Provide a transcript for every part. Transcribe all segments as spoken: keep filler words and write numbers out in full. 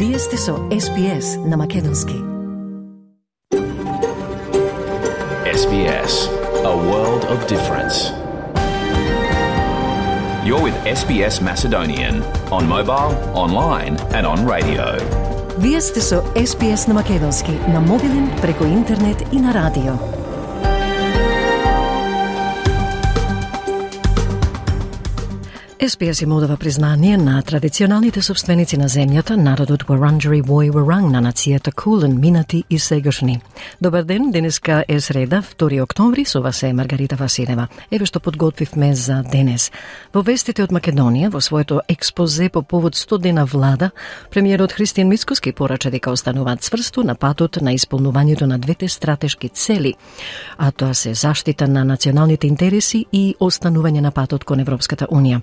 Вие сте со Ес Би Ес на Македонски. Ес Би Ес, a world of difference. You're with Ес Би Ес Macedonian on mobile, online and on radio. Вие сте со Ес Би Ес на Македонски, на мобилен, преку интернет и на радио. Ес Би Ес им одава признание на традиционалните собственици на земјата, народот Вуранџери Вој Вуранг на нацијата Кулен, минати и сегашни. Добар ден, денеска е среда, втори октомври, со вас е Маргарита Василева. Еве што подготвивме за денес. Во вестите од Македонија, во своето експозе по повод сто дена влада, премиерот Христијан Мицкоски порача дека остануваат цврсто на патот на исполнувањето на двете стратешки цели, а тоа се заштита на националните интереси и останување на патот кон Европската Унија.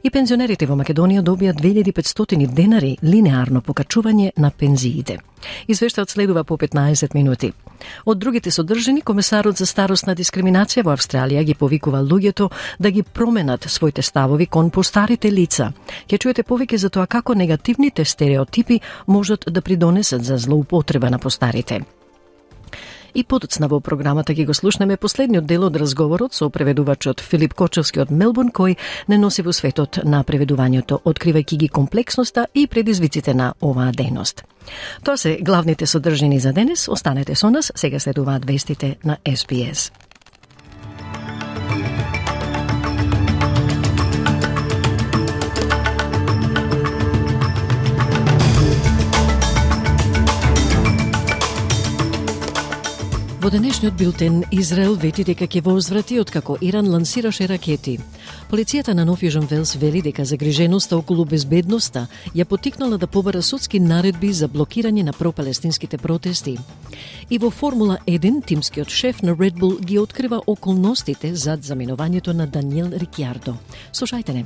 И пензионерите во Македонија добија две илјади и петстотини денари линеарно покачување на пензиите. Извештајот следува по петнаесет минути. Од другите содржини, комесарот за старосна дискриминација во Австралија ги повикува луѓето да ги променат своите ставови кон постарите лица. Ќе чуете повеќе за тоа како негативните стереотипи можат да придонесат за злоупотреба на постарите. И подоцна во програмата ги го слушнеме последниот дел од разговорот со преведувачот Филип Кочевски од Мелбурн, кој не носи во светот на преведувањето, откривајќи ги комплексноста и предизвиците на оваа дејност. Тоа се главните содржини за денес. Останете со нас, сега следуваат вестите на Ес Би Ес. Во денешниот билтен, Израел вети дека ќе возврати откако Иран лансираше ракети. Полицијата на Нов Јужен Велс вели дека загриженоста околу безбедноста ја потикнала да побара судски наредби за блокирање на пропалестинските протести. И во Формула еден, тимскиот шеф на Red Bull ги открива околностите зад заминувањето на Даниел Рикјардо. Слушајте не.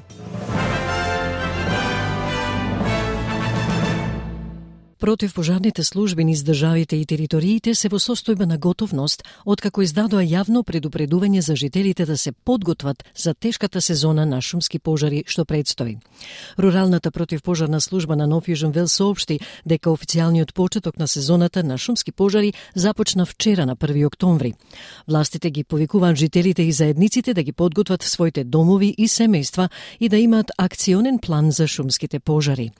Противпожарните служби низ државите и териториите се во состојба на готовност, откако издадоа јавно предупредување за жителите да се подготват за тешката сезона на шумски пожари што предстои. Руралната противпожарна служба на Нов Јужен Велс соопшти дека официјалниот почеток на сезоната на шумски пожари започна вчера на први октомври. Властите ги повикуваат жителите и заедниците да ги подготват своите домови и семејства и да имаат акционен план за шумските пожари.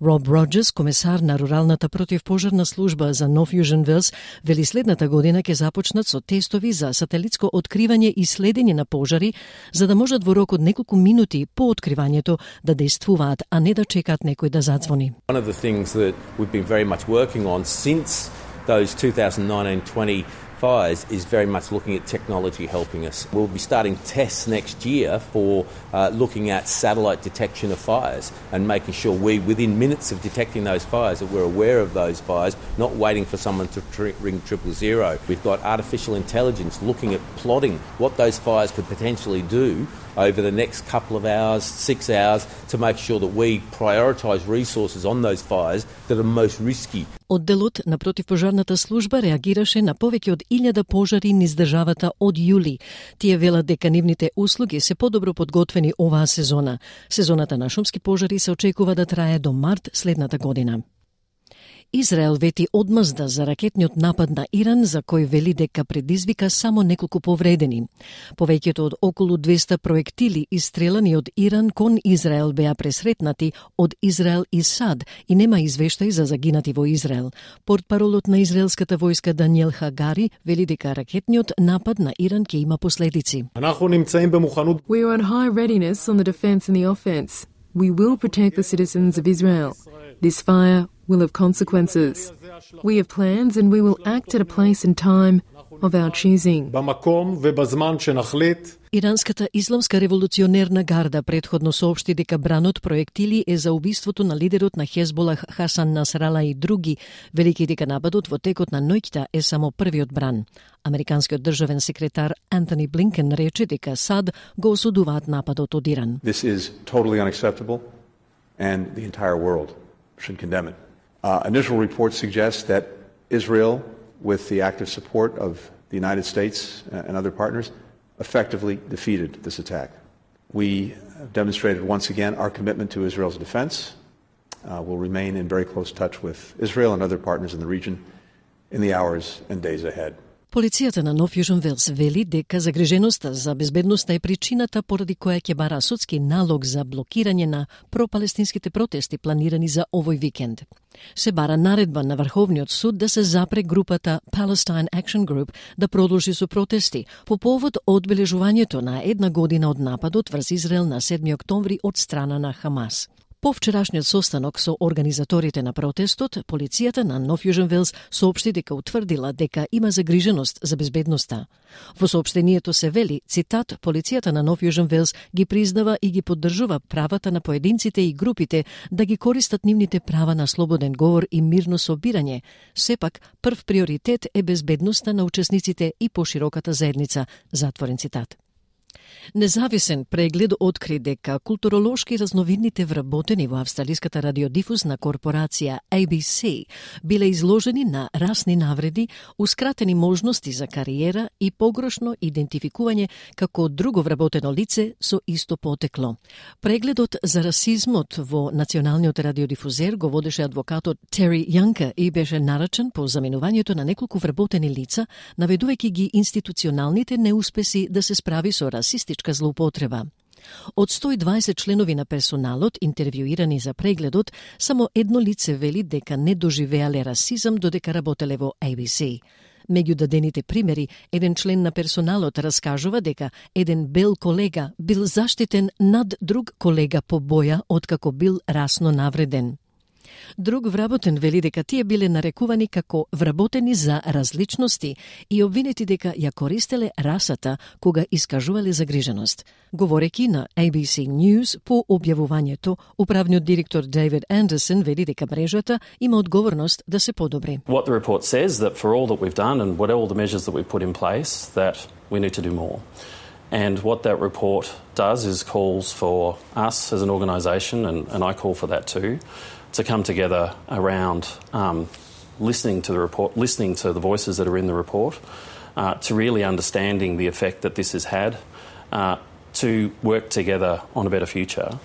Роб Роџерс, комесар на руралната противпожарна служба за Нов Јужен Велс, вели следната година ќе започнат со тестови за сателитско откривање и следење на пожари, за да можат во рок од неколку минути по откривањето да действуваат, а не да чекаат некој да задзвони. One of the things that we've been very much working on since those two thousand nineteen twenty fires is very much looking at technology helping us. We'll be starting tests next year for uh, looking at satellite detection of fires and making sure we, within minutes of detecting those fires, that we're aware of those fires, not waiting for someone to tr- ring triple zero. We've got artificial intelligence looking at plotting what those fires could potentially do over the next couple of hours, six hours, to make sure that we prioritise resources on those fires that are most risky. Одделот на противпожарната служба реагираше на повеќе од илјада пожари низ државата од јули. Тие велат дека нивните услуги се подобро подготвени оваа сезона. Сезоната на шумски пожари се очекува да трае до март следната година. Израел вети одмазда за ракетниот напад на Иран, за кој вели дека предизвика само неколку повредени. Повеќето од околу двеста проектили истрелани од Иран кон Израел беа пресретнати од Израел и САД и нема извештај за загинати во Израел. Портпаролот на израелската војска Даниел Хагари вели дека ракетниот напад на Иран ќе има последици. We are on high readiness on the defense and the offense. We will protect the citizens of Israel. This fire will have consequences. We have plans and we will act at a place and time of our choosing. Иранската исламска револуционерна гарда претходно соопшти дека бранот проектили е за убиството на лидерот на Хезболах Хасан Насрала и други, велики дека нападот во текот на ноќта е само првиот бран. Американскиот државен секретар Антони Блинкен рече дека САД го осудуваат нападот од Иран. This is totally unacceptable and the entire world should condemn it. Uh, initial reports suggest that Israel, with the active support of the United States and other partners, effectively defeated this attack. We demonstrated once again our commitment to Israel's defense uh, will remain in very close touch with Israel and other partners in the region in the hours and days ahead. Полицијата на Нов Јужен Велс вели дека загриженоста за безбедноста е причината поради која ќе бара судски налог за блокирање на пропалестинските протести планирани за овој викенд. Се бара наредба на Врховниот суд да се запре групата Palestine Action Group да продолжи со протести по повод одбележувањето на една година од нападот врз Израел на седми октомври од страна на Хамас. По вчерашниот состанок со организаторите на протестот, полицијата на Нов Јужен Велс соопшти дека утврдила дека има загриженост за безбедноста. Во соопштението се вели, цитат, полицијата на Нов Јужен Велс ги признава и ги поддржува правата на поединците и групите да ги користат нивните права на слободен говор и мирно собирање. Сепак, прв приоритет е безбедноста на учесниците и пошироката заедница, затворен цитат. Независен преглед откри дека културолошки разновидните вработени во австралиската радиодифузна корпорација A B C биле изложени на расни навреди, ускратени можности за кариера и погрешно идентификување како друго вработено лице со исто потекло. Прегледот за расизмот во националниот радиодифузер го водеше адвокатот Тери Јанка и беше нарачен по заменувањето на неколку вработени лица, наведувајќи ги институционалните неуспеси да се справи со расистичка злоупотреба. Од сто и дваесет членови на персоналот, интервјуирани за прегледот, само едно лице вели дека не доживеале расизам додека работеле во A B C. Меѓу дадените примери, еден член на персоналот раскажува дека еден бел колега бил заштитен над друг колега по боја откако бил расно навреден. Друг вработен вели дека тие биле нарекувани како вработени за различности и обвинети дека ја користеле расата кога искажувале загриженост. Говореки на A B C News по објавувањето, управниот директор Дейвид Андерсон вели дека мрежата има одговорност да се подобри. What the report says that for all that we've done and what all the measures that we've put in place, that we need to do more. And what that report does is calls for us as an organisation, and, and I call for that too, to come together around um, listening to the report, listening to the voices that are in the report, uh, to really understanding the effect that this has had, uh, to work together on a better future.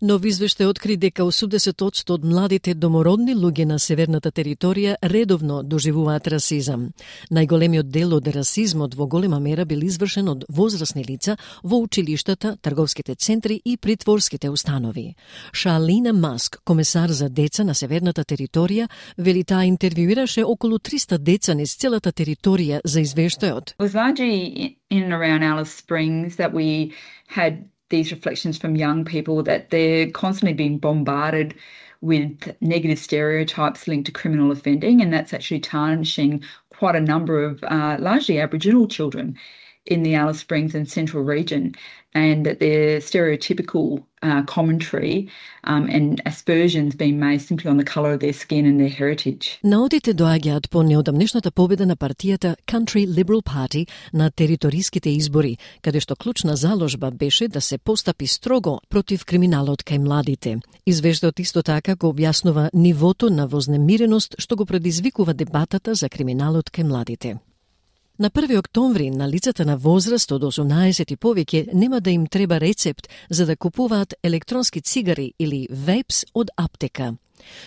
Нов извештај откри дека осумдесет одсто од младите домородни луѓе на северната територија редовно доживуваат расизам. Најголемиот дел од расизмот во голема мера бил извршен од возрасни лица во училиштата, трговските центри и притворските установи. Шалина Маск, комесар за деца на северната територија, вели таа интервјуираше околу триста деца низ целата територија за извештајот. It was largely in and around Alice Springs that we had these reflections from young people that they're constantly being bombarded with negative stereotypes linked to criminal offending, and that's actually tarnishing quite a number of uh, largely Aboriginal children in the Alice Springs and Central region, and that their stereotypical uh, commentary um, and aspersions being made simply on the colour of their skin and their heritage. Наодите доаѓаат по неодамнешната победа на партијата Country Liberal Party на териториските избори, каде што клучна заложба беше да се постапи строго против криминалот кај младите. Извештајот исто така го објаснува нивото на вознемиреност што го предизвикува дебатата за криминалот кај младите. На први октомври на лицата на возраст од осумнаесет и повеќе нема да им треба рецепт за да купуваат електронски цигари или вейпс од аптека.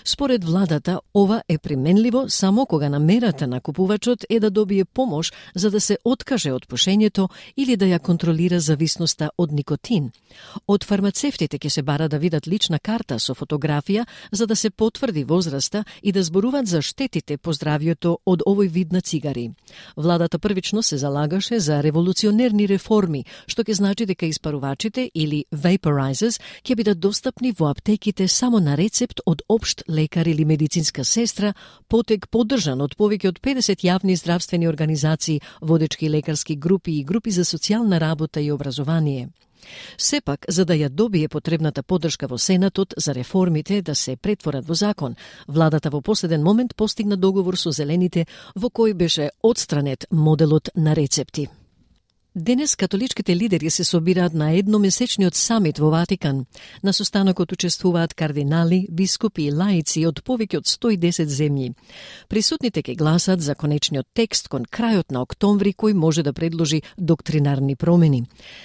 Според владата, ова е применливо само кога намерата на купувачот е да добие помош за да се откаже од пушењето или да ја контролира зависноста од никотин. Од фармацевтите ќе се бара да видат лична карта со фотографија за да се потврди возраста и да зборуваат за штетите по здравјето од овој вид на цигари. Владата првично се залагаше за револуционерни реформи, што ќе значи дека испарувачите или vaporizers ќе бидат достапни во аптеките само на рецепт од општ лекар или медицинска сестра, потек поддржан од повеќе од педесет јавни здравствени организации, водечки лекарски групи и групи за социјална работа и образование. Сепак, за да ја добие потребната поддршка во Сенатот за реформите да се претворат во закон, владата во последен момент постигна договор со Зелените во кој беше отстранет моделот на рецепти. Денес католичките лидери се собираат на едномесечниот самит во Ватикан. На состанокот учествуваат кардинали, бискупи и лаици од повеќе од сто и десет земји. Присутните ќе гласат за конечниот текст кон крајот на октомври кој може да предложи доктринарни промени.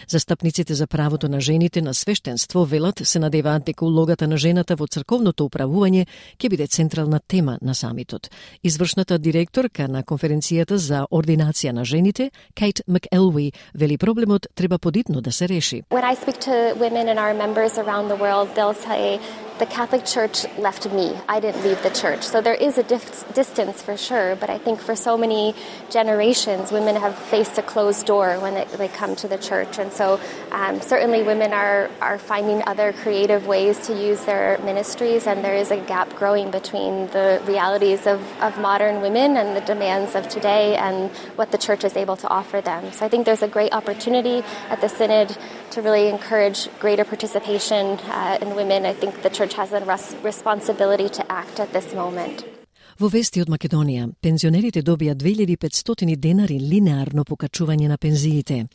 Застапниците за правото на жените на свештенство велат се надеваат дека улогата на жената во црковното управување ќе биде централна тема на самитот. Извршната директорка на конференцијата за ординација на жените, Кейт МакЕлви, вели проблемот треба подитно да се реши. When I speak to women and our members around the world, they'll say, the Catholic Church left me. I didn't leave the Church. So there is a dif- distance for sure, but I think for so many generations, women have faced a closed door when they, they come to the Church. And so um, certainly women are, are finding other creative ways to use their ministries, and there is a gap growing between the realities of, of modern women and the demands of today and what the Church is able to offer them. So I think there's a great opportunity at the Synod to really encourage greater participation uh, in women. I think the Church has a responsibility to act at this moment. Во вести од Македонија, пензионерите добија две илјади и петстотини денари линеарно покачување на пензиите.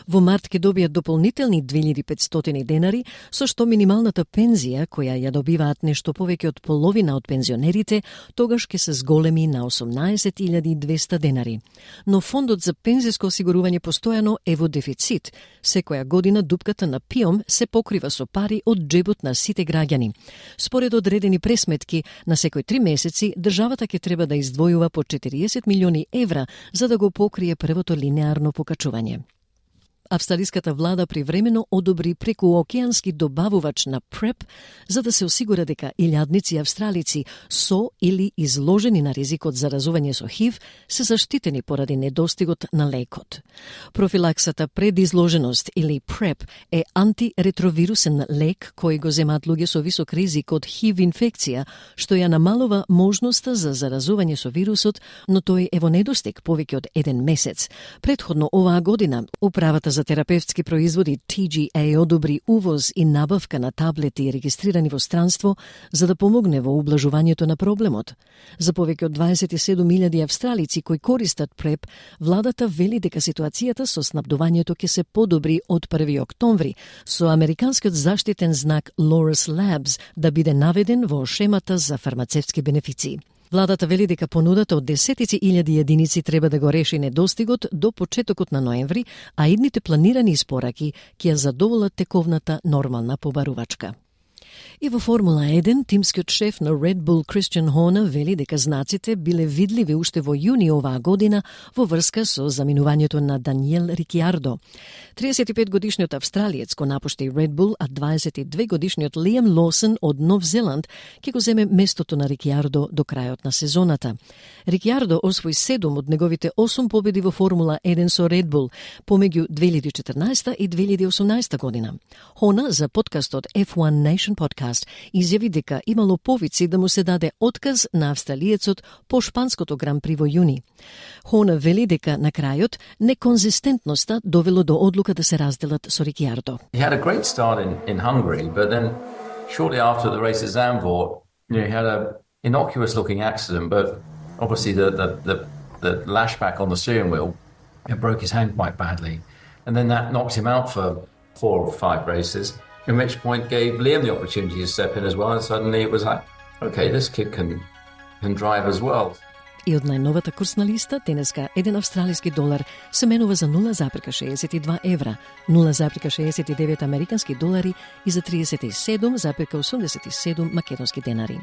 Во март ќе добијат дополнителни две илјади и петстотини денари, со што минималната пензија, која ја добиваат нешто повеќе од половина од пензионерите, тогаш ќе се зголеми на осумнаесет илјади и двеста денари. Но фондот за пензиско осигурување постојано е во дефицит. Секоја година дупката на ПИОМ се покрива со пари од џебот на сите граѓани. Според одредени пресметки, на секој три месеци државата ќе треба да издвојува по четириесет милиони евра за да го покрие првото линеарно покачување. Австралиската влада привремено одобри прекуокеански добавувач на преп за да се осигура дека илјадници австралици со или изложени на ризикот за заразување со ХИВ се заштитени поради недостигот на лекот. Профилаксата пред изложеност или преп е антиретровирусен лек кој го земаат луѓе со висок ризик од ХИВ инфекција, што ја намалува можноста за заразување со вирусот, но тој е во недостиг повеќе од еден месец. Претходно оваа година управата за терапевтски производи Т Г А одобри увоз и набавка на таблети регистрирани во странство за да помогне во ублажувањето на проблемот. За повеќе од дваесет и седум илјади австралици кои користат преп, владата вели дека ситуацијата со снабдувањето ќе се подобри од први октомври, со американскиот заштитен знак Loris Labs да биде наведен во шемата за фармацевтски бенефиции. Владата вели дека понудата од десетици илјади единици треба да го реши недостигот до почетокот на ноември, а идните планирани испораки ќе ја задоволат тековната нормална побарувачка. И во Формула еден, тимскиот шеф на Red Bull Christian Horner вели дека знаците биле видливи уште во јуни оваа година во врска со заминувањето на Даниел Рикјардо. триесет и пет годишниот австралиец го напушти Red Bull, а дваесет и две годишниот Лиам Лоусен од Нов Зеланд ќе го земе местото на Рикјардо до крајот на сезоната. Рикјардо освои седум од неговите осум победи во Формула еден со Red Bull помеѓу две илјади и четрнаесета и две илјади и осумнаесета година. Horner за подкастот F one Nation Podcast изјави дека имало повици да му се даде отказ на австралиецот по шпанското гран-при во јуни. Horner вели дека на крајот неконзистентноста довело до одлука да се разделат со Рикјардо. He had a great start in, in Hungary, but then shortly after the race at Zandvoort, you know, he had a innocuous looking accident, but obviously the, the, the, the lashback on the steering wheel, it broke his hand quite badly. And then that knocked him out for four or five races, at which point gave Liam the opportunity to step in as well, and suddenly it was like, okay, this kid can, can drive as well. И од најновата курсна листа, денеска еден австралиски долар се менува за нула запирка шеесет и два евра, нула запирка шеесет и девет американски долари и за триесет и седум запирка осумдесет и седум македонски денари.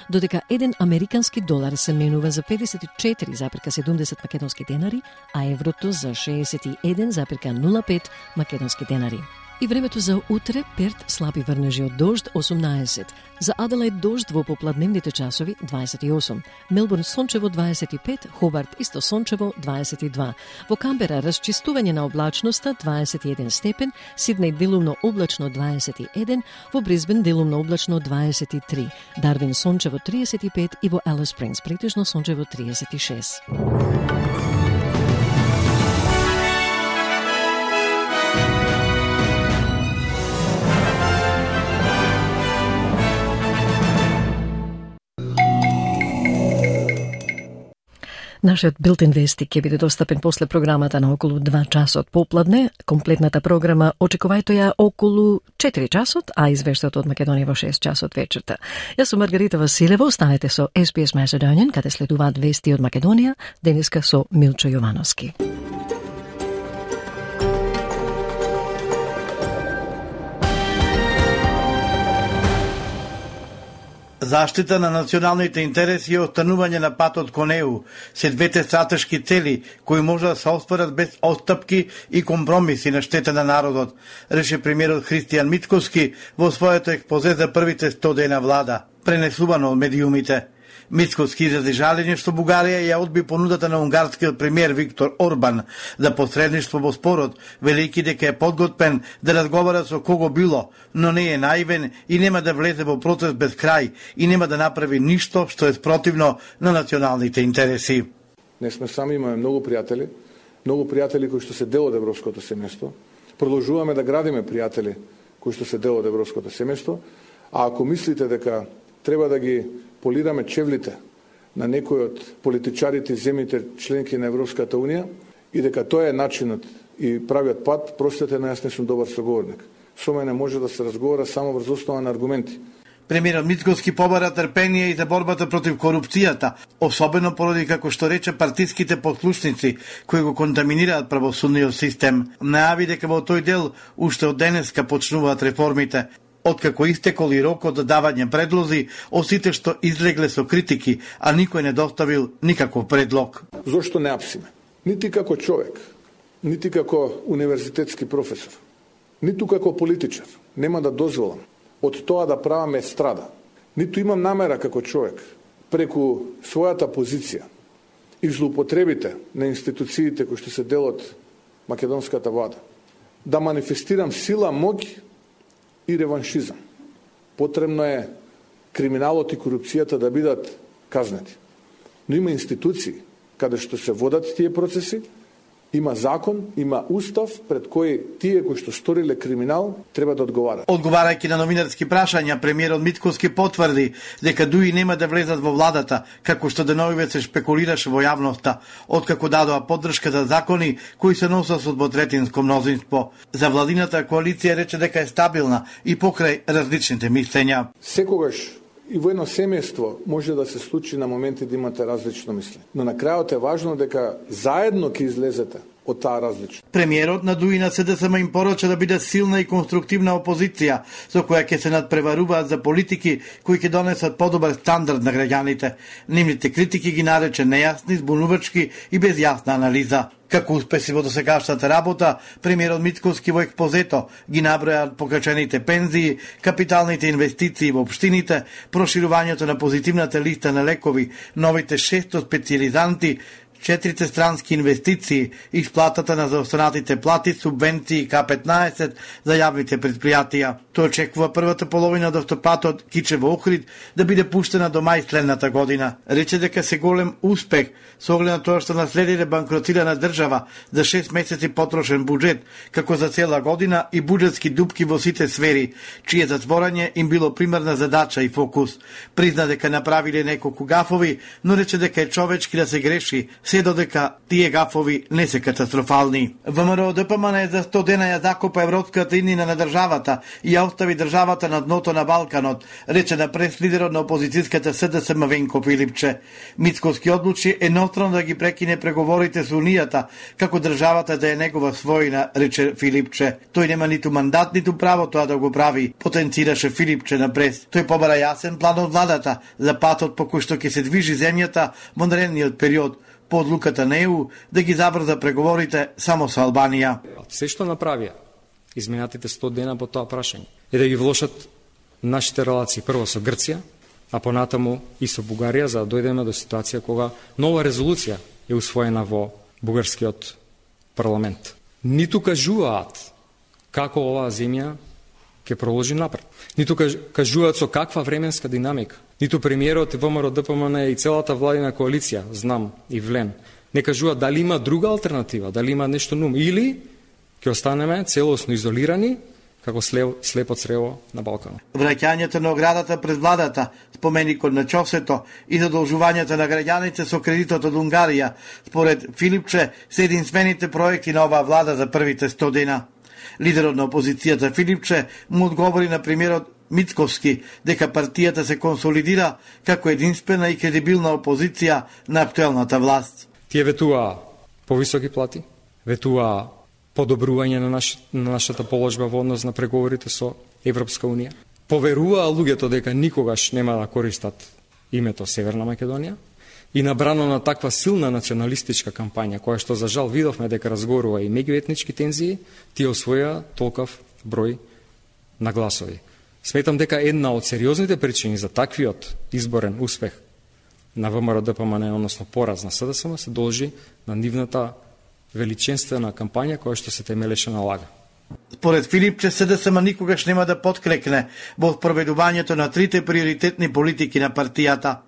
Додека еден американски долар се менува за педесет и четири запирка седумдесет македонски денари, а еврото за шеесет и еден запирка нула пет македонски денари. И времето за утре: Перт слаби врнежи од дожд осумнаесет, за Аделаид дожд во попладневните часови дваесет и осум, Мелбурн сончево дваесет и пет, Хобарт исто сончево дваесет и два, во Камбера расчистување на облачноста дваесет и еден степен, Сиднеј делумно облачно дваесет и еден, во Брисбен делумно облачно дваесет и три, Дарвин сончево триесет и пет и во Алис Спрингс претежно сончево триесет и шест. Нашиот билтен вести ќе биде достапен после програмата на околу два часот попладне. Комплетната програма очекувајте ја околу четири часот, а извештајот од Македонија во шест часот вечерта. Јас сум Маргарита Василева, останете со Ес Би Ес Macedonian, каде следуваат вести од Македонија, денеска со Милчо Јовановски. Заштита на националните интереси и останување на патот кон Е У се двете стратешки цели кои може да се остварат без отстапки и компромиси на штета на народот, рече премиерот Христијан Мицкоски во своето експозе за првите сто дена влада, пренесувано од медиумите. Мицкоски изрази жалење што Бугарија ја одби понудата на унгарскиот премиер Виктор Орбан за посредништво во спорот, велики дека е подготвен да разговара со кого било, но не е наивен и нема да влезе во процес без крај и нема да направи ништо што е спротивно на националните интереси. Не сме сами, имаме многу пријатели, многу пријатели кои што се дел од европското семејство. Продолжуваме да градиме пријатели кои што се дел од европското семејство, а ако мислите дека треба да ги полираме чевлите на некои од политичарите и земјите членки на Европската Унија и дека тоа е начинот и правиот пат, простете, на јас не сум добар соговорник. Со мене може да се разговара само врз основа на аргументи. Премиерот Мицкоски побара трпение и за борбата против корупцијата, особено поради, како што рече, партиските послушници кои го контаминираат правосудниот систем. Најави дека во тој дел уште од денеска почнуваат реформите. Откако истекол и рокот за давање предлози, осите што излегле со критики, а никој не доставил никаков предлог. Зошто не апсиме? Нити како човек, нити како универзитетски професор, ниту како политичар нема да дозволам од тоа да праваме страда. Ниту имам намера како човек преку својата позиција и злоупотребите на институциите кои што се дел од македонската влада да манифестирам сила, моќ и реваншизам. Потребно е криминалот и корупцијата да бидат казнети. Но има институции каде што се водат тие процеси, има закон, има устав пред кој тие кои што сториле криминал треба да одговарат. Одговарајќи на новинарски прашања, премиерот Мицкоски потврди дека дуи нема да влезат во владата, како што деновиве се шпекулираше во јавноста, откако дадоа поддршка за закони кои се носат со двотретинско мнозинство. За владината коалиција рече дека е стабилна и покрај различните мислења. Секогаш и во едно семејство може да се случи на моменти да имате различно мислење. Но на крајот е важно дека заедно ќе излезете од таа различност. Премиерот на дуи на Се Де Ес Ем им порача да биде силна и конструктивна опозиција, со која ќе се надпреваруваат за политики кои ќе донесат подобар стандард на граѓаните. Нивните критики ги нарече нејасни, збунувачки и без јасна анализа. Како успеси во досегашната работа, премиерот Мицкоски во експозето ги набројаат покачените пензии, капиталните инвестиции во општините, проширувањето на позитивната листа на лекови, новите шесто специјализанти, четирите странски инвестиции, исплатата на заостанатите плати, субвенции К петнаесет за јавните предпријатија. Тој очекува првата половина од автопатот Кичево Охрид да биде пуштена до мај следната година. Рече дека се голем успех со оглед на тоа што наследиле банкротирана држава за шест месеци потрошен буџет, како за цела година и буџетски дупки во сите сфери, чие затворање им било примерна задача и фокус. Призна дека направиле неколку гафови, но рече дека е човечки да се греши, се додека тие гафови не се катастрофални. ВМРО Д П М Н за сто дена ја закопа европската иднина на државата и ја остави државата на дното на Балканот, рече на прес-лидерот на опозицијската С Д С М Венко Филипче. Мицкоски одлучи еднострано да ги прекине преговорите со Унијата, како државата да е негова својина, рече Филипче. Тој нема ниту мандат, ниту право тоа да го прави, потенцираше Филипче на прес. Тој побара јасен план од владата за патот по кој што ќе се движи земјата во наредниот период, по одлуката на Е У да ги забрза преговорите само со Албанија. Се што направија изминатите сто дена по тоа прашање е да ги влошат нашите релации прво со Грција, а понатаму и со Бугарија, за да дојдеме до ситуација кога нова резолуција е усвоена во бугарскиот парламент. Ниту кажуваат како оваа земја ќе проложи напред. Ниту кажуваат со каква временска динамика. Ниту премиерот и ВМРО Д П М Н и целата владина коалиција, знам и Влен, не кажуваат дали има друга алтернатива, дали има нешто нум, или ќе останеме целосно изолирани, како слепо црево на Балканот. Враќањето на оградата пред владата, споменикот на ЧОСЕТО и задолжувањето на граѓаните со кредитот од Унгарија, според Филипче, се единствените проекти на оваа влада за првите сто дена. Лидерот на опозицијата Филипче му одговори на премиерот Мицковски дека партијата се консолидира како единствена и кредибилна опозиција на актуелната власт. Тие ветуваа повисоки плати, ветуваа подобрување на, наш, на нашата положба во однос на преговорите со Европска Унија. Поверуваа луѓето дека никогаш нема да користат името Северна Македонија и набрано на таква силна националистичка кампања, која што за жал видовме дека разгорува и меѓуетнички тензии, тие освоја толков број на гласови. Сметам дека една од сериозните причини за таквиот изборен успех на ВМРО-ДПМН, односно пораз на СДСМ, се должи на нивната величинствена кампања која што се темелеше на лага. Според Филипче, СДСМ никогаш нема да подкрекне во спроведувањето на трите приоритетни политики на партијата.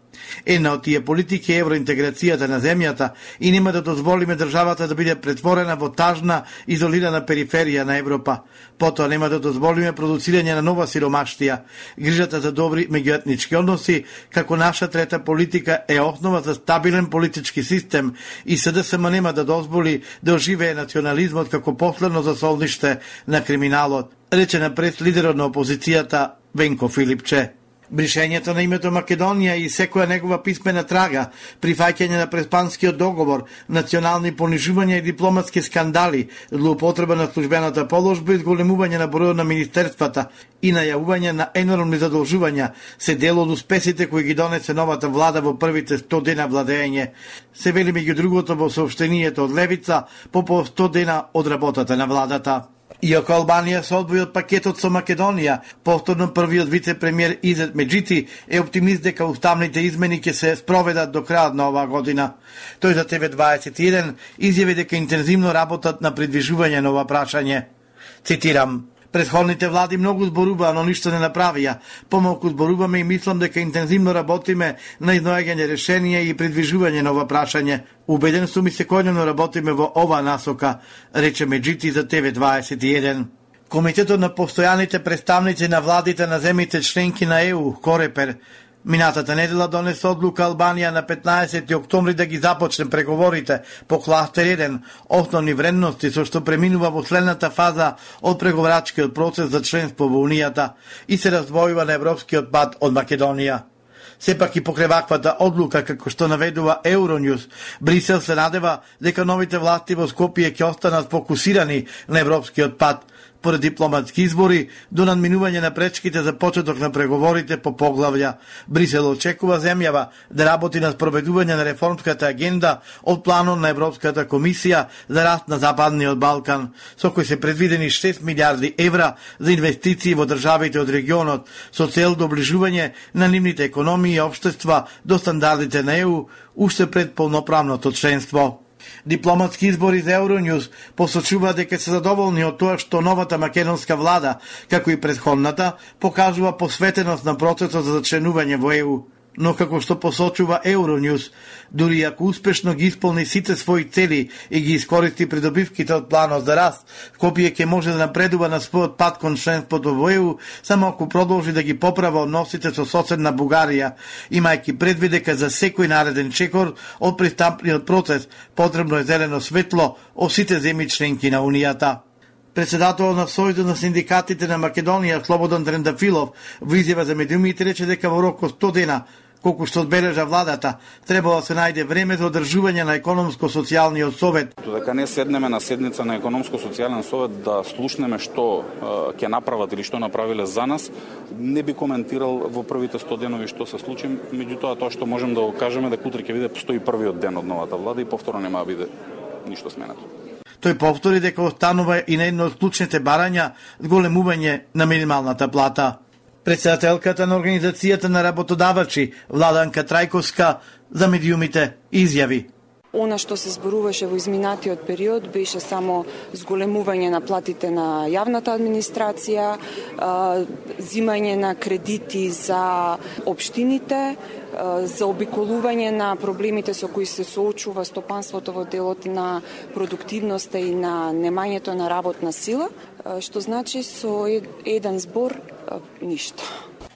Една од тие политики е евроинтеграцијата на земјата и нема да дозволиме државата да биде претворена во тажна, изолирана периферија на Европа. Потоа нема да дозволиме продуцирање на нова сиромаштија. Грижата за добри меѓуетнички односи, како наша трета политика, е основа за стабилен политички систем и СДСМ нема да дозволи да оживее национализмот како последно засолниште на криминалот, рече напред лидерот на опозицијата Венко Филипче. Бришењето на името Македонија и секоја негова писмена трага, прифаќање на преспанскиот договор, национални понижувања и дипломатски скандали, злоупотреба на службената положба и зголемување на бројот на министерствата и најавување на енормни задолжувања се дел од успесите кои ги донесе новата влада во првите сто дена владење. Се вели меѓу другото во соопштението од Левица по по сто дена од работата на владата. Иако Албанија се одвои од пакетот со Македонија, повторно првиот вице-премиер Изет Меджити е оптимист дека уставните измени ќе се спроведат до крајот на оваа година. Тој за Т В дваесет и еден изјави дека интензивно работат на придвижување на ова прашање. Цитирам: Предходните влади многу зборуваа, но ништо не направија. Помалку зборуваме и мислам дека интензивно работиме на изнаоѓање решенија и придвижување на ова прашање. Убеден сум и секојдневно работиме во оваа насока, рече Меджити за Т В дваесет и еден. Комитетот на постојаните представници на владите на земјите членки на Е У, Корепер, минатата недела донесе одлука Албанија на петнаесети октомври да ги започне преговорите по кластер еден, основни вредности со што преминува во следната фаза од преговарачкиот процес за членство во Унијата и се раздвојува на европскиот пат од Македонија. Сепак и покрај ваквата одлука, како што наведува Евронјус, Брисел се надева дека новите власти во Скопје ќе останат фокусирани на европскиот пат, поред дипломатски избори, до надминување на пречките за почеток на преговорите по поглавја. Брисел очекува земјава да работи на спроведување на реформската агенда од планот на Европската комисија за раст на Западниот Балкан, со кој се предвидени шест милиарди евра за инвестиции во државите од регионот, со цел доближување на нивните економии и општества до стандардите на Е У, уште пред полноправното членство. Дипломатски избори за Евронјус посочува дека се задоволни од тоа што новата македонска влада, како и претходната, покажува посветеност на процесот за зачленување во Е У. Но како што посочува Евронјус, дури ако успешно ги исполни сите своји цели и ги искористи придобивките од планот за раст, Скопје ќе може да напредува на својот пат кон членството во Е У, само ако продолжи да ги поправа односите со соседна Бугарија, имајќи предвид дека за секој нареден чекор од пристапниот процес потребно е зелено светло од сите земји членки на Унијата. Председателот на Сојузот на синдикатите на Македонија, Слободан Трендафилов, во изјава за медиумите рече дека во рок од сто дена, колку што одбележа владата, требало да се најде време за одржување на економско-социјалниот совет. Додека не седнеме на седница на економско-социјален совет да слушнеме што ќе направат или што направиле за нас, не би коментирал во првите сто денови што се случи, меѓутоа тоа што можем да го кажеме дека утре ќе биде сто и првиот ден од новата влада и повторно нема да биде ништо сменато. Тој повтори дека останува и на едно од клучните барања зголемување на минималната плата. Председателката на Организацијата на работодавачи, Владанка Трајковска, за медиумите изјави: Она што се зборуваше во изминатиот период беше само зголемување на платите на јавната администрација, зимање на кредити за општините, заобиколување на проблемите со кои се соочува стопанството во делот на продуктивноста и на немањето на работна сила, што значи со еден збор ништо.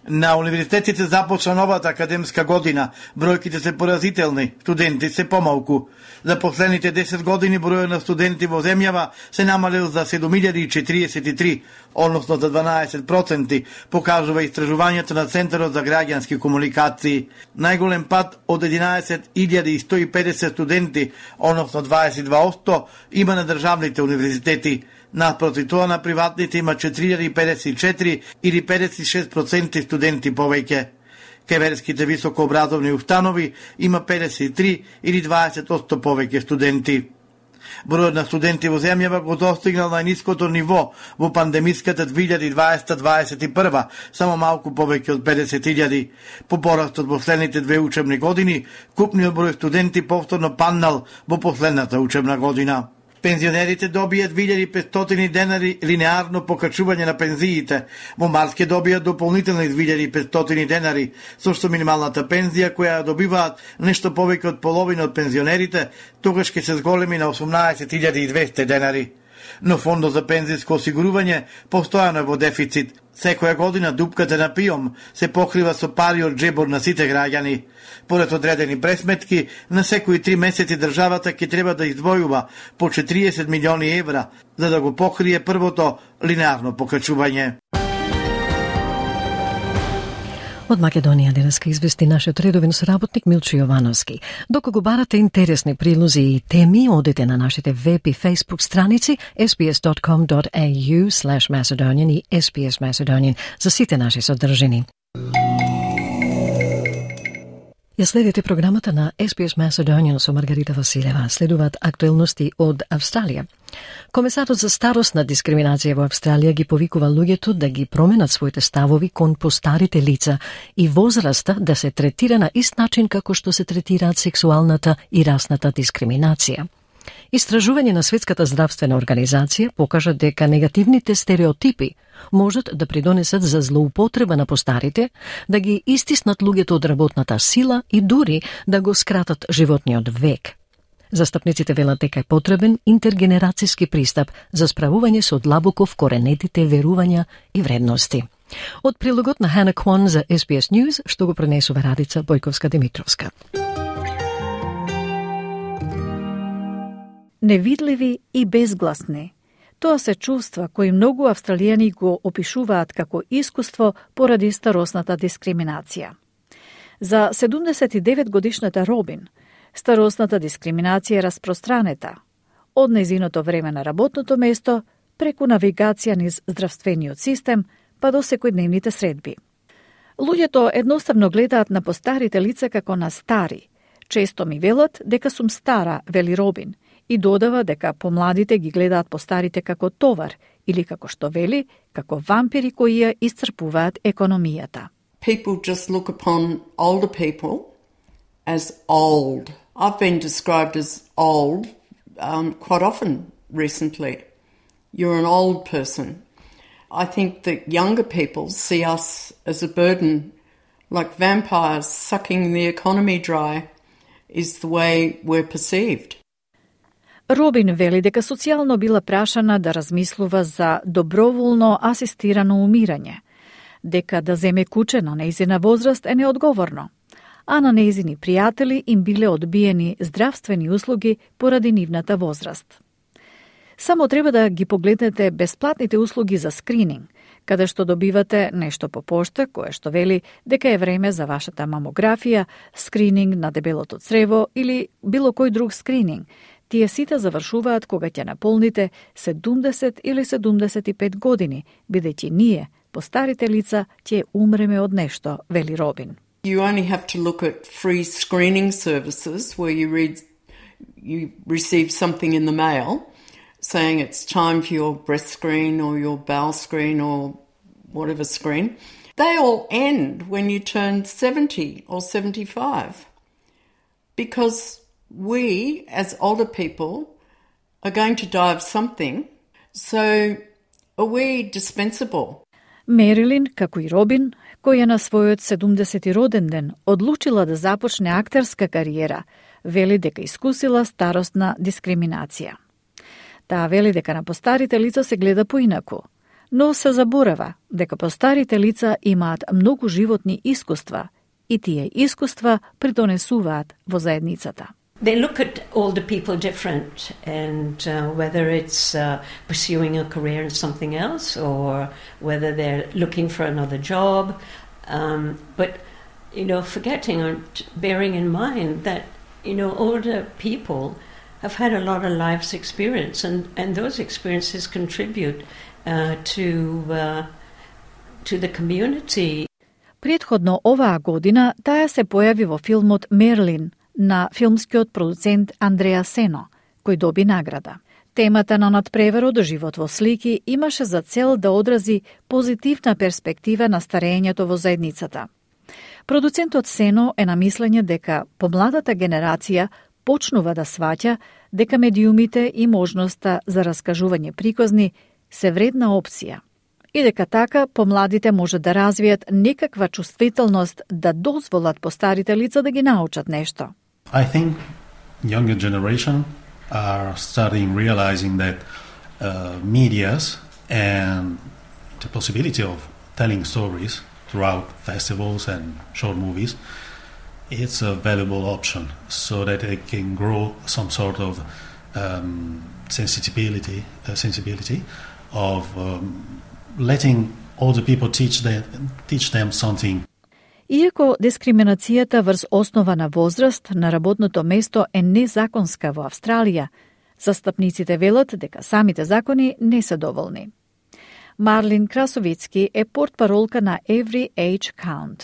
На универзитетите започна новата академска година. Бројките се поразителни, студенти се помалку. За последните десет години бројот на студенти во земјава се намалил за седум илјади четириесет и три, односно за дванаесет проценти, покажува истражувањето на Центарот за граѓански комуникации. Најголем пад од единаесет илјади сто и педесет студенти, односно дваесет и два проценти, има на државните универзитети. Напроти тоа на приватните има четири илјади педесет и четири или педесет и шест проценти студенти повеќе. Кеверските високообразовни установи има педесет и три или дваесет проценти повеќе студенти. Бројот на студенти во земјава го достигнал најниското ниво во пандемиската две илјади дваесета дваесет и прва, само малку повеќе од педесет илјади. По пораст од последните две учебни години, купниот број студенти повторно паднал во последната учебна година. Пензионерите добија две илјади и петстотини денари линеарно покачување на пензиите. Во март ќе добијат дополнителни две илјади и петстотини денари, со што минималната пензија која добиваат нешто повеќе од половина од пензионерите, тогаш ќе се зголеми на осумнаесет илјади и двесте денари. Но фондот за пензиско осигурување постојано е во дефицит. Секоја година дупката на ПИОМ се покрива со пари од джебор на сите граѓани. Поред одредени пресметки, на секои три месеци државата ќе треба да издвојува по четириесет милиони евра за да го покрие првото линеарно покачување. Од Македонија денеска извести нашиот редовен соработник Милчо Јовановски. Доколку барате интересни прилози и теми, одете на нашите веб и фейсбук страници ес би ес dot com dot a u slash Macedonian и ес би ес Macedonian за сите наши содржини. Ја следите програмата на ес би ес Macedonian со Маргарита Василева. Следуваат актуелности од Австралија. Комесарот за старосна дискриминација во Австралија ги повикува луѓето да ги променат своите ставови кон постарите лица и возраста да се третира на ист начин како што се третираат сексуалната и расната дискриминација. Истражување на Светската здравствена организација покажа дека негативните стереотипи можат да придонесат за злоупотреба на постарите, да ги истиснат луѓето од работната сила и дури да го скратат животниот век. Застапниците велат дека е потребен интергенерацијски пристап за справување со длабоко вкоренетите верувања и вредности. Од прилогот на Hannah Kwan за ес би ес News, што го пренесува Радица Бојковска-Димитровска. Невидливи и безгласни. Тоа се чувства кои многу австралијани го опишуваат како искуство поради старосната дискриминација. За седумдесет и девет годишната Робин, старосната дискриминација е распространета, од нејзиното време на работното место, преку навигација низ здравствениот систем, па до секојдневните средби. Луѓето едноставно гледаат на постарите лица како на стари. Често ми велат дека сум стара, вели Робин, и додава дека помладите ги гледаат постарите како товар или како што вели, како вампири кои ја исцрпуваат економијата. People just look upon older people as old. I've been described as old um, quite often recently. You're an old person. I think that younger people see us as a burden, like vampires sucking the economy dry is the way we're perceived. Робин вели дека социјално била прашана да размислува за доброволно асистирано умирање, дека да земе куче на нејзина возраст е неодговорно, а на нејзини пријатели им биле одбиени здравствени услуги поради нивната возраст. Само треба да ги погледнете бесплатните услуги за скрининг, каде што добивате нешто по пошта, кое што вели дека е време за вашата мамографија, скрининг на дебелото црево или било кој друг скрининг. Тие сите завршуваат кога ќе наполните седумдесет или седумдесет и пет години, бидејќи ние, постарите лица, ќе умреме од нешто, вели Робин. You only have to look at free screening services where you read, you receive something in the mail saying it's time for your breast screen or your bowel screen or whatever screen. They all end when you turn seventy or seventy-five because we, as older people, are going to die of something, so are we dispensable? Мерилин, како и Робин, која на својот седумдесети роден ден одлучила да започне актерска кариера, вели дека искусила старосна дискриминација. Таа вели дека на постарите лица се гледа поинаку, но се заборава дека постарите лица имаат многу животни искуства и тие искуства придонесуваат во заедницата. They look at older people different, and uh, whether it's uh, pursuing a career in something else or whether they're looking for another job. Um, but, you know, forgetting or bearing in mind that, you know, older people have had a lot of life's experience, and, and those experiences contribute uh, to, uh, to the community. Предходно оваа година таа се појави во филмот Мерлин на филмскиот продуцент Андреа Сено, кој доби награда. Темата на надпреварот живот во слики имаше за цел да одрази позитивна перспектива на старењето во заедницата. Продуцентот Сено е на мислење дека помладата генерација почнува да сваќа дека медиумите и можноста за раскажување приказни се вредна опција и дека така помладите може да развијат некаква чувствителност да дозволат постарите лица да ги научат нешто. I think younger generation are starting realizing that uh, medias and the possibility of telling stories throughout festivals and short movies, it's a valuable option so that they can grow some sort of um, sensibility, uh, sensibility of um, letting older people teach them, teach them something. Иако дискриминацијата врз основа на возраст на работното место е незаконска во Австралија, застапниците велат дека самите закони не се доволни. Марлин Красовицки е портпаролка на Every Age Count.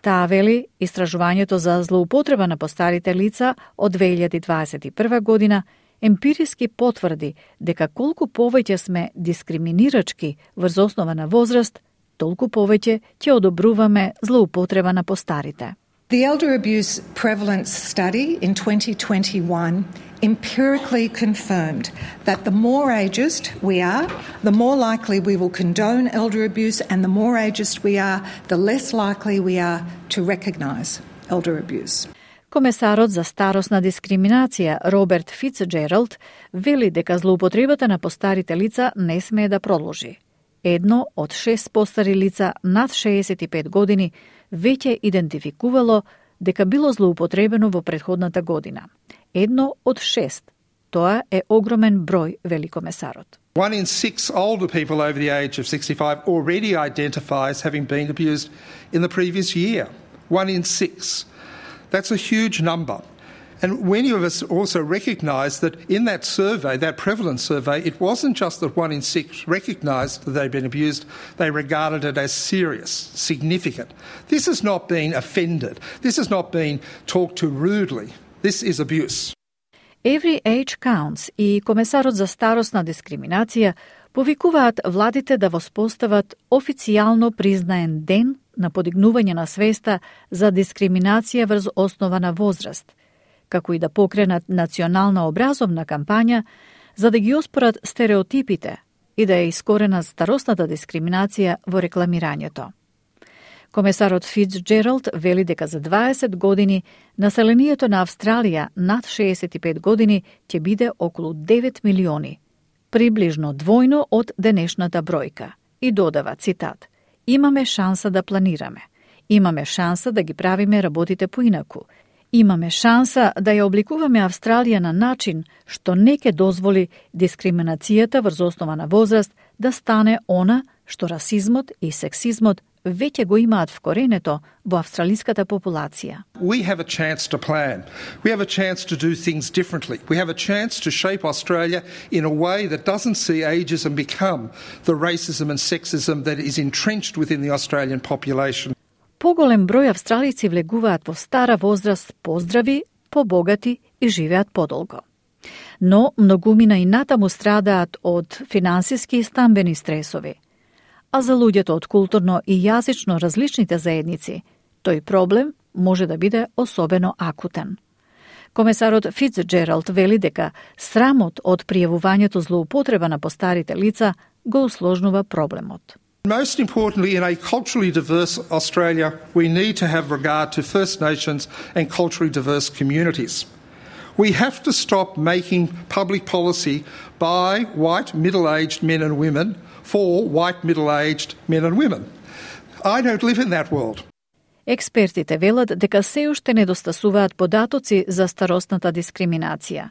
Таа вели, истражувањето за злоупотреба на постарите лица од две илјади дваесет и прва година емпириски потврди дека колку повеќе сме дискриминирачки врз основа на возраст, толку повеќе ќе одобруваме злоупотреба на постарите. The elder abuse prevalence study in twenty twenty-one empirically confirmed that the more ageist we are, the more likely we will condone elder abuse, and the more ageist we are, the less likely we are to recognise elder abuse. Комесарот за старосна дискриминација Роберт Фицџералд вели дека злоупотребата на постарите лица не смее да продолжи. Едно од шест постари лица над шеесет и пет години веќе идентификувало дека било злоупотребено во претходната година. Едно од шест. Тоа е огромен број, вели комесарот. One in six older people over the age of sixty-five already identify as having been abused in the previous year. One in six. That's a huge number. And many of us also recognise that in that survey, that prevalence survey, it wasn't just that one in six recognised that they'd been abused, they regarded it as serious, significant. This has not been offended. This has not been talked to rudely. This is abuse. Every Age Counts и Комесарот за старосна дискриминација повикуваат владите да воспостават официјално признаен ден на подигнување на свеста за дискриминација врз основа на возраст, како и да покренат национална образовна кампања за да ги оспорат стереотипите и да ја искоренат старосната дискриминација во рекламирањето. Комесарот Фицџералд вели дека за дваесет години населението на Австралија над шеесет и пет години ќе биде околу девет милиони, приближно двојно од денешната бројка. И додава, цитат, имаме шанса да планираме, имаме шанса да ги правиме работите поинаку, имаме шанса да ја обликуваме Австралија на начин што не ќе дозволи дискриминацијата врз основа на возраст да стане она што расизмот и сексизмот веќе го имаат вкоренето во австралиската популација. We have a chance to plan. We have a chance to do things differently. We have a chance to shape Australia in a way that doesn't see ageism become the racism and sexism that is entrenched within the Australian population. Поголем број австралици влегуваат во стара возраст поздрави, побогати и живеат подолго. Но многумина и натаму страдаат од финансиски и стамбени стресови. А за луѓето од културно и јазично различните заедници, тој проблем може да биде особено акутен. Комесарот Фицџералд вели дека срамот од пријавувањето злоупотреба на постарите лица го усложнува проблемот. Most importantly, in a culturally diverse Australia, we need to have regard to First Nations and culturally diverse communities. We have to stop making public policy by white middle-aged men and women for white middle-aged men and women. I don't live in that world. Експертите велат дека се уште недостасуваат податоци за старосната дискриминација.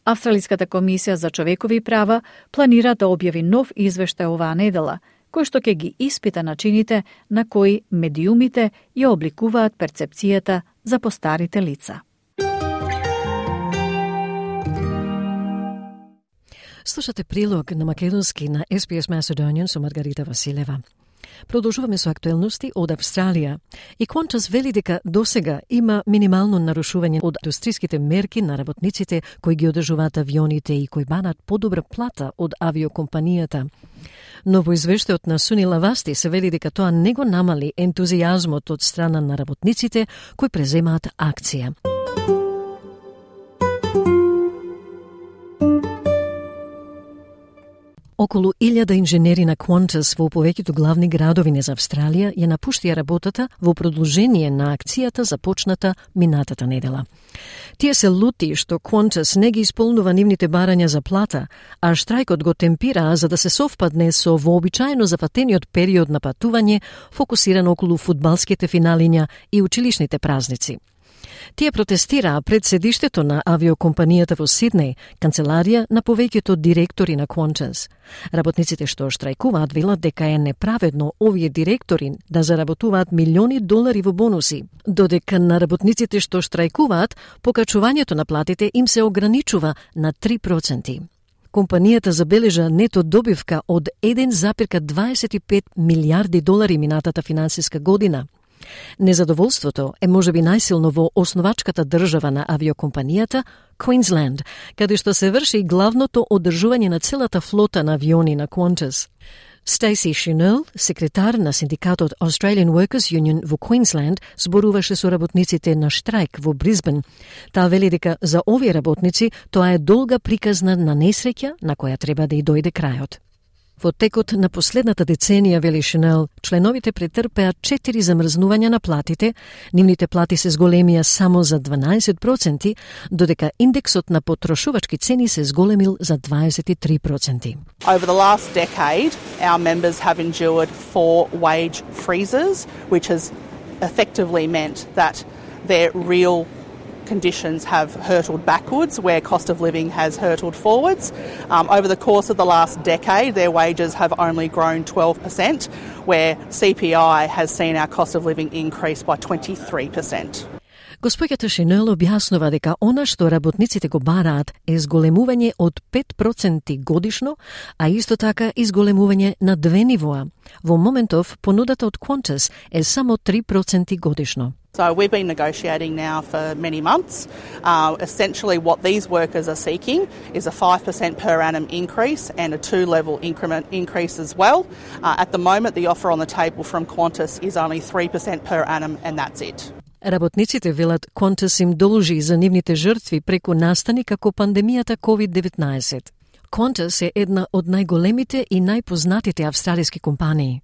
Австралиската комисија за човекови права планира да објави нов извештај оваа недела, кој што ќе ги испита начините на кои медиумите ја обликуваат перцепцијата за постарите лица. Слушате прилог на македонски на Ес Би Ес Macedonian со Маргарита Василева. Продолжуваме со актуелности од Австралија. И Qantas вели дека досега има минимално нарушување од индустриските мерки на работниците кои ги одржуваат авионите и кои банат подобра плата од авиокомпанијата. Но во извештајот на Сунила Васти се вели дека тоа не го намали ентузијазмот од страна на работниците кои преземаат акција. Околу илјада инженери на Qantas во повеќето главни градови низ Австралија ја напуштија работата во продолжение на акцијата започната минатата недела. Тие се лути што Qantas не ги исполнува нивните барања за плата, а штрајкот го темпира за да се совпадне со вообичаено зафатениот период на патување фокусиран околу фудбалските финалиња и училишните празници. Тие протестираа пред седиштето на авиокомпанијата во Сиднеј, канцеларија на повеќето директори на Qantas. Работниците што штрајкуваат велат дека е неправедно овие директори да заработуваат милиони долари во бонуси, додека на работниците што штрајкуваат покачувањето на платите им се ограничува на три проценти. Компанијата забележа нето добивка од еден запирка дваесет и пет милијарди долари минатата финансиска година. Незадоволството е можеби најсилно во основачката држава на авиокомпанијата, Queensland, каде што се врши главното одржување на целата флота на авиони на Qantas. Stacey Chenille, секретар на синдикатот Australian Workers Union во Queensland, зборуваше со работниците на штрајк во Брисбен. Таа вели дека за овие работници тоа е долга приказна на несреќа на која треба да и дојде крајот. Во текот на последната деценија, вели Chenille, членовите претрпеа четири замрзнувања на платите, нивните плати се зголемија само за дванаесет проценти, додека индексот на потрошувачки цени се зголемил за дваесет и три проценти. Over the last decade, our members have endured four wage freezes, which has effectively meant that their real conditions have hurtled backwards, where cost of living has hurtled forwards. Um, over the course of the last decade, their wages have only grown twelve percent, where C P I has seen our cost of living increase by twenty-three percent. Госпоѓата Chenille објаснува дека она што работниците го бараат е зголемување од пет проценти годишно, а исто така и зголемување на две нивоа. Во моментов, понудата од Qantas е само три проценти годишно. So we've been negotiating now for many months. Uh, essentially what these workers are seeking is a five percent per annum increase and a two-level increment increase as well. Uh, at the moment, the offer on the table from Qantas is only three percent per annum, and that's it. Работниците велат Qantas им должи за нивните жртви преку настани како пандемијата ковид деветнаесет. Qantas е една од најголемите и најпознатите австралиски компании.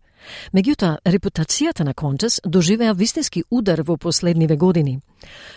Меѓутоа, репутацијата на Qantas доживеа вистински удар во последниве години.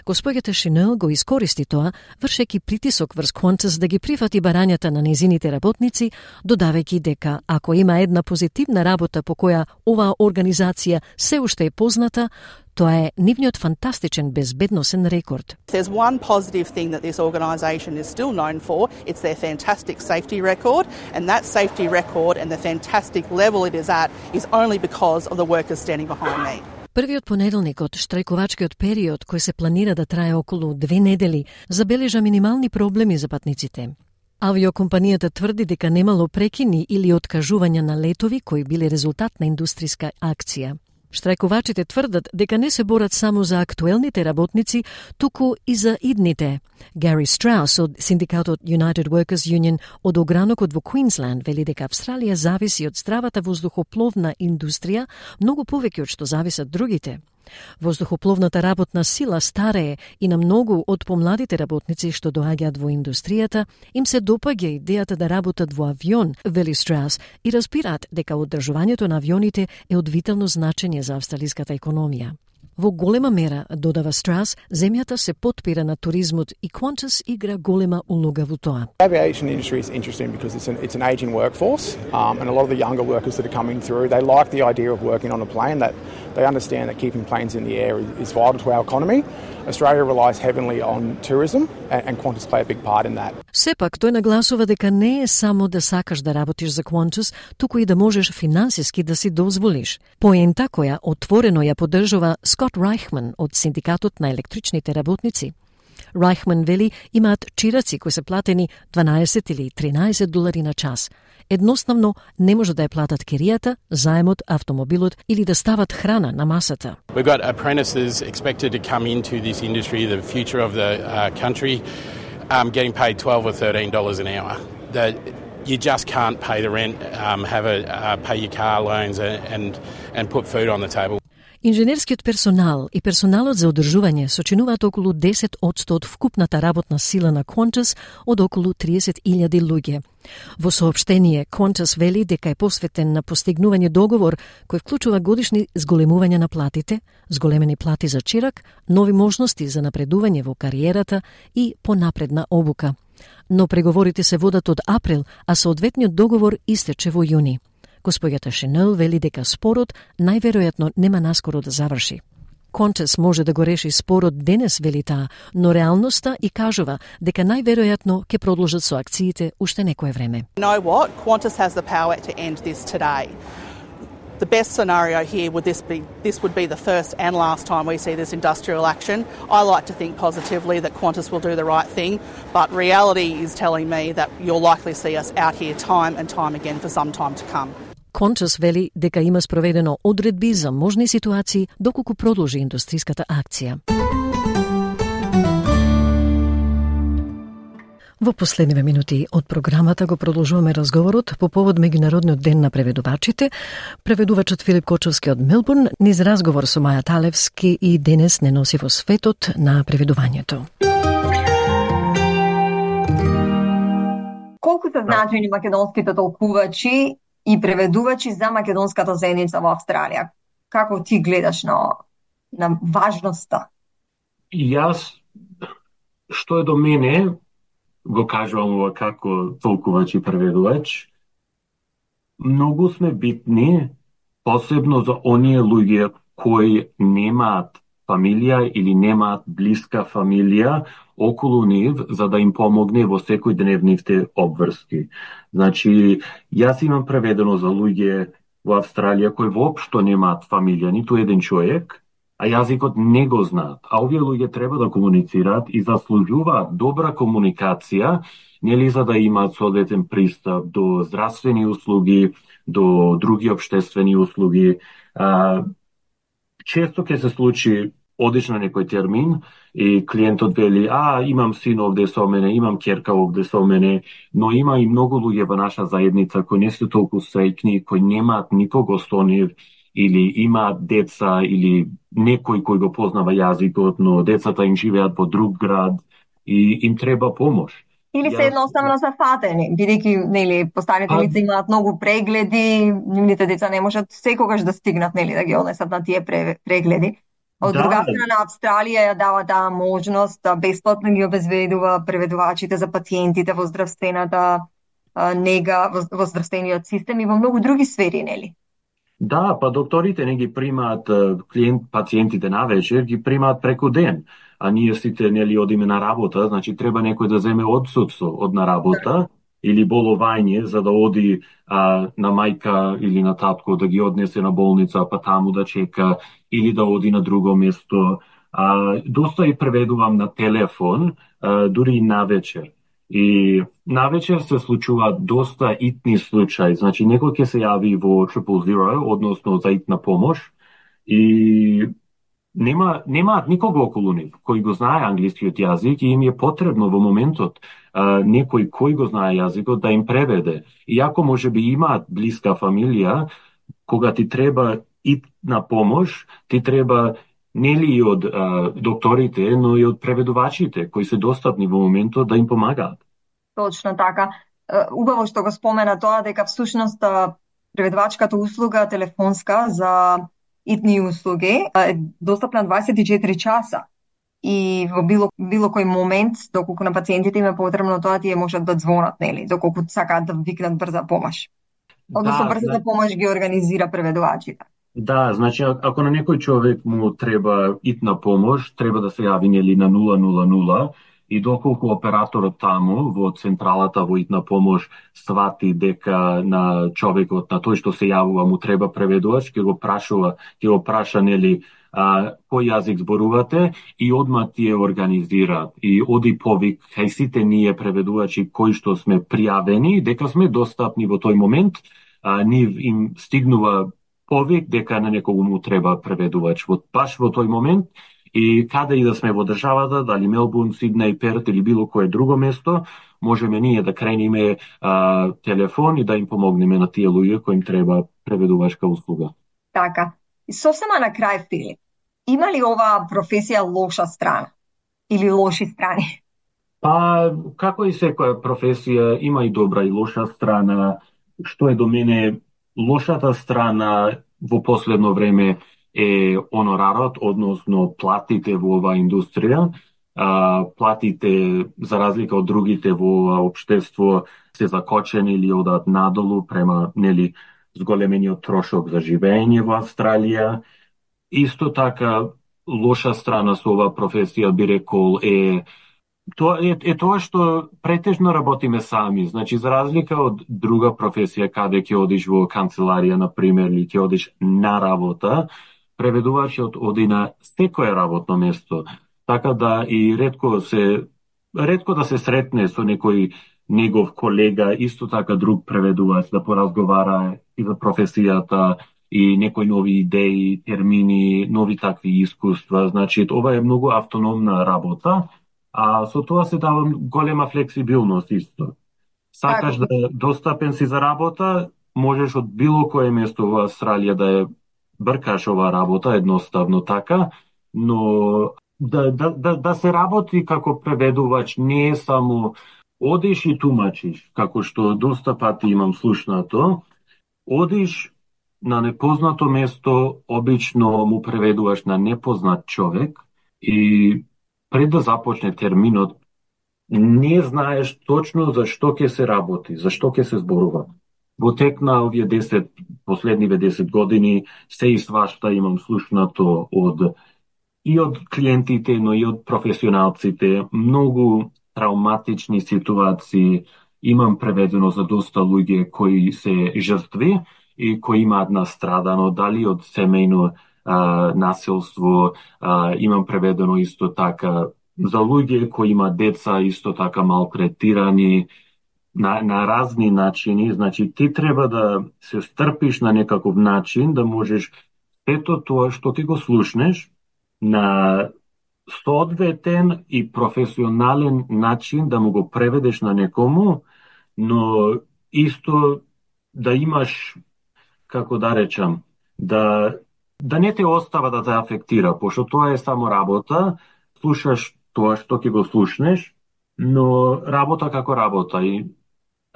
Госпоѓата Chenille го искористи тоа, вршејќи притисок врз Qantas да ги прифати барањата на незините работници, додавајќи дека ако има една позитивна работа по која оваа организација се уште е позната, тоа е нивниот фантастичен безбедносен рекорд. There's one positive thing that this organisation is still known for. It's their fantastic safety record, and that safety record and the fantastic level it is at is only because of the workers standing behind me. Првиот понеделник од штрајковачкиот период, кој се планира да трае околу две недели, забележа минимални проблеми за патниците. Авиокомпанијата тврди дека немало прекини или откажувања на летови кои биле резултат на индустријска акција. Штрајковачите тврдат дека не се борат само за актуелните работници, туку и за идните. Гари Страус од синдикатот United Workers Union од огранокот во Queensland вели дека Австралија зависи од здравата воздухопловна индустрија многу повеќе од што зависат другите. Воздухопловната работна сила старее и на многу од помладите работници што доаѓаат во индустријата им се допаѓа идејата да работат во авион, вели Страус, и разбираат дека одржувањето на авионите е од витално значење за австралиската економија. Во голема мера, додава Страус, земјата се потпира на туризмот и Qantas игра голема улога во тоа. The aviation industry is interesting because it's an, it's an aging workforce um, and a lot of the younger workers that are coming through, they like the idea of working on a plane, that they understand that keeping planes in the air is, is vital to our economy. Australia relies heavily on tourism and, and Qantas play a big part in that. Сепак, тој нагласува дека не е само да сакаш да работиш за Qantas, туку и да можеш финансиски да си дозволиш. Поента која отворено ја поддржува Скот Райхман од Синдикатот на електричните работници. Райхман вели имаат чираци кои се платени дванаесет или тринаесет долари на час. Едноставно не може да ја платат киријата, заемот, автомобилот или да стават храна на масата. We've got apprentices expected to come into this industry, the future of the uh, country, um, getting paid twelve or thirteen dollars an hour. That you just can't pay the rent, um, have a uh, pay your car loans and and put food on the table. Инженерскиот персонал и персоналот за одржување сочинуваат околу десет одсто од вкупната работна сила на Qantas од околу триесет илјади луѓе. Во соопштение, Qantas вели дека е посветен на постигнување договор кој вклучува годишни зголемување на платите, зголемени плати за чирак, нови можности за напредување во кариерата и понапредна обука. Но преговорите се водат од април, а соодветниот договор истече во јуни. Господјата Шинел вели дека спорот најверојатно нема наскоро да заврши. Qantas може да го реши спорот денес, вели таа, но реалноста и кажува дека најверојатно ќе продолжат со акциите уште некое време. You know what? Qantas has the power to end this today. The best scenario here would this be this would be the first and last time we see this industrial action. I like to think positively that Qantas will do the right thing, but reality is telling me that you'll likely see us out here time and time again for some time to come. Qantas вели дека има спроведено одредби за можни ситуации доколку продолжи индустриската акција. Во последниве минути од програмата го продолжуваме разговорот по повод Меѓународниот ден на преведувачите. Преведувачот Филип Кочовски од Мелбурн низ разговор со Маја Талевски и денес не носи во светот на преведувањето. Колку се значени македонските толкувачи и преведувачи за македонската заедница во Австралија? Како ти гледаш на, на важноста? Јас, што е до мене, го кажувам како толкувач и преведувач, многу сме битни, посебно за оние луѓе кои немаат фамилија или немаат блиска фамилија околу нив, за да им помогне во секојдневните обврски. Значи, јас имам преведено за луѓе во Австралија кои воопшто немаат фамилија, ниту еден човек, а јазикот не го знаат. А овие луѓе треба да комуницираат и заслужуваат добра комуникација, нели за да имаат соодветен пристап до здравствени услуги, до други обштествени услуги. А, често ќе се случи одиш на некој термин и клиентот вели, а, имам син овде со мене, имам ќерка овде со мене, но има и многу луѓе во наша заедница кои не се толку среќни, кои немаат никого со нив, или имаат деца, или некој кој го познава јазикот, но децата им живеат во друг град и им треба помош. Или се едноставно зафатени, бидејќи нели постаните а... лица имаат многу прегледи, нивните деца не можат секогаш да стигнат нели да ги однесат на тие прегледи. Од да. Друга страна, Австралија ја дава таа можност да бесплатно ги обезбедува преведувачите за пациентите во здравствената нега, во здравствениот систем и во многу други сфери, нели? Да, па докторите не ги примаат клиент, пациентите на вечер, ги примаат преку ден. А ние сите нели одиме на работа, значи треба некој да земе одсуство од на работа или боловање за да оди а, на мајка или на татко да ги однесе на болница, па таму да чека или да оди на друго место. А, доста и преведувам на телефон, а, дури и на вечер. И на вечер се случуваат доста итни случаи. Значи некој ќе се јави во трипл зеро, односно за итна помош и нема немаат никого околу нив кој го знае англискиот јазик и им е потребно во моментот а, некој кој го знае јазикот да им преведе. Иако може би имаат блиска фамилија, кога ти треба итна помош, ти треба нели и од а, докторите, но и од преведувачите кои се достапни во моментот да им помагаат. Точно така. Убаво што го спомена тоа, дека всушност преведувачката услуга телефонска за итни услуги е достапна дваесет и четири часа. И во било, било кој момент, доколку на пациентите им е потребно тоа, тие можат да звонат, нели, доколку сакаат да викнат брза помош. Односно, да, брзата помош ги организира преведувачите. Да, значи, ако на некој човек му треба итна помош, треба да се јави нели на нула нула нула, и доколку операторот таму во централата во итна помош свати дека на човекот, на тој што се јавува, му треба преведувач, ќе го прашува, ќе го праша нели а, кој јазик зборувате и одма тие организираат и оди повик кај сите ние преведувачи кои што сме пријавени, дека сме достапни во тој момент, а, нив им стигнува повик дека на некого му треба преведувач во баш во тој момент. И каде и да сме во државата, дали Мелбурн, Сиднеј, Перт или било кое друго место, можеме ние да крениме а, телефон и да им помогнеме на тие луѓе кои им треба преведувачка услуга. Така. И сосема на крај, Филип, има ли оваа професија лоша страна или лоши страни? Па, како и секоја професија, има и добра и лоша страна. Што е до мене, лошата страна во последно време е онорарот, односно платите во оваа индустрија. А, платите, за разлика од другите во ова општество, се закочени или одат надолу према нели зголемениот трошок за живење во Австралија. Исто така, лоша страна со оваа професија, би рекол, е тоа е, е тоа што претежно работиме сами. Значи, за разлика од друга професија, каде ќе одиш во канцеларија, на пример, или ќе одиш на работа, преведувачот оди на секое работно место. Така да и ретко се ретко да се сретне со некој негов колега, исто така друг преведувач, да поразговара и за професијата и некои нови идеи, термини, нови такви искуства. Значи, ова е многу автономна работа, а со тоа се дава голема флексибилност исто. Сакаш да достапен си за работа, можеш од било кое место во Австралија да е бркаш оваа работа, едноставно така, но да, да, да, да се работи како преведувач не е само одиш и тумачиш, како што доста пати имам слушнато, одиш на непознато место, обично му преведуваш на непознат човек и пред да започне терминот, не знаеш точно за што ќе се работи, за што ќе се зборува. Во тек на овие десет, последниве десет години, се и свашта имам слушнато од и од клиентите, но и од професионалците, многу травматични ситуации имам преведено за доста луѓе кои се жртви и кои имаат настрадано, дали од семејно а, насилство, а, имам преведено исто така за луѓе кои имаат деца исто така малтретирани, на, на разни начини. Значи, ти треба да се стрпиш на некаков начин, да можеш ето тоа што ти го слушнеш на соодветен и професионален начин да му го преведеш на некому, но исто да имаш, како да речам, да, да не те остава да те афектира, пошто тоа е само работа, слушаш тоа што ќе го слушнеш, но работа како работа и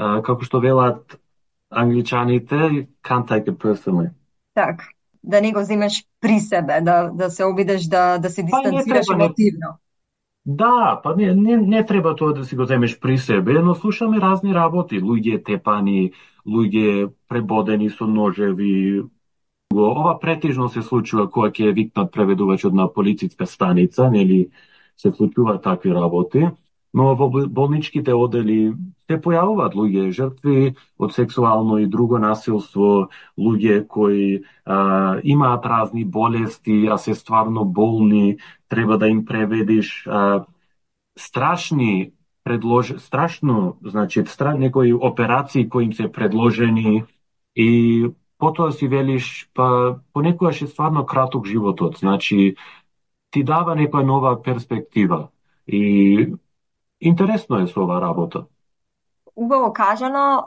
а, како што велат англичаните, can't take it personally. Так, да не го земеш при себе, да, да се обидеш да, да се дистанцираш па емотивно. Да, па не, не, не треба тоа да си го земеш при себе, но слушаме разни работи, луѓе тепани, луѓе пребодени со ножеви. Ова претежно се случува кога ќе викнат преведувачот на полициска станица, нели се случуваат такви работи, но во болничките одели се појавуваат луѓе жртви од сексуално и друго насилство, луѓе кои а, имаат разни болести, а се стварно болни, треба да им преведиш а, страшни предлож... страшно, значи стра... некои операции кои им се предложени и потоа си велиш, па понекогаш е стварно краток животот, значи ти дава некоја нова перспектива и интересно е со оваа работа. Убаво кажано,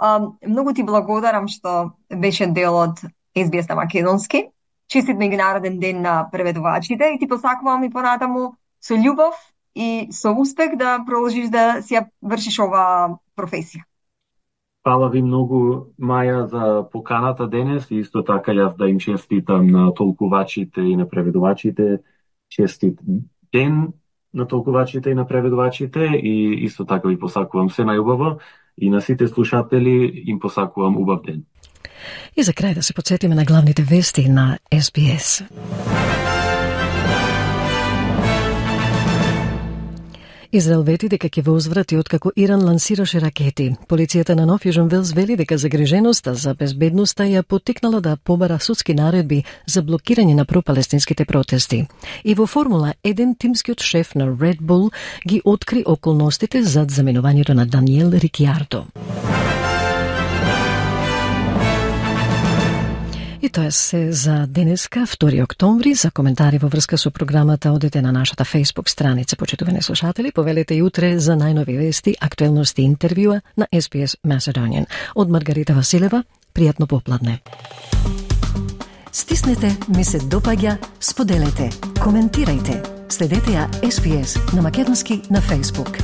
многу ти благодарам што беше дел од Ес Би Ес на македонски. честит меѓународен ден на преведувачите и ти посакувам и понатаму со љубов и со успех да продолжиш да си ја вршиш оваа професија. Фала ви многу, Маја, за поканата денес и исто така јас да им честитам на толкувачите и на преведувачите. Честит ден на толкувачите и на преведувачите и исто така ви посакувам се најубаво и на сите слушатели им посакувам убав ден. И за крај да се подсетиме на главните вести на Ес Би Ес. Израел вети дека ќе возврати откако Иран лансираше ракети. Полицијата на Нов Јужен Велс вели дека загриженоста за безбедноста ја поттикнала да побара судски наредби за блокирање на пропалестинските протести. И во Формула еден тимскиот шеф на Red Bull ги откри околностите зад заменувањето на Даниел Рикјардо. И тоа се за денеска, втори октомври. За коментари во врска со програмата одете на нашата Facebook страница, почитувани слушатели. Повелете и утре за најнови вести, актуелности и интервјуа на Ес Би Ес Macedonian. Од Маргарита Василева, пријатно попладне. Стиснете, ми се допаѓа, споделете, коментирајте. Следете ја Ес Би Ес на македонски на Facebook.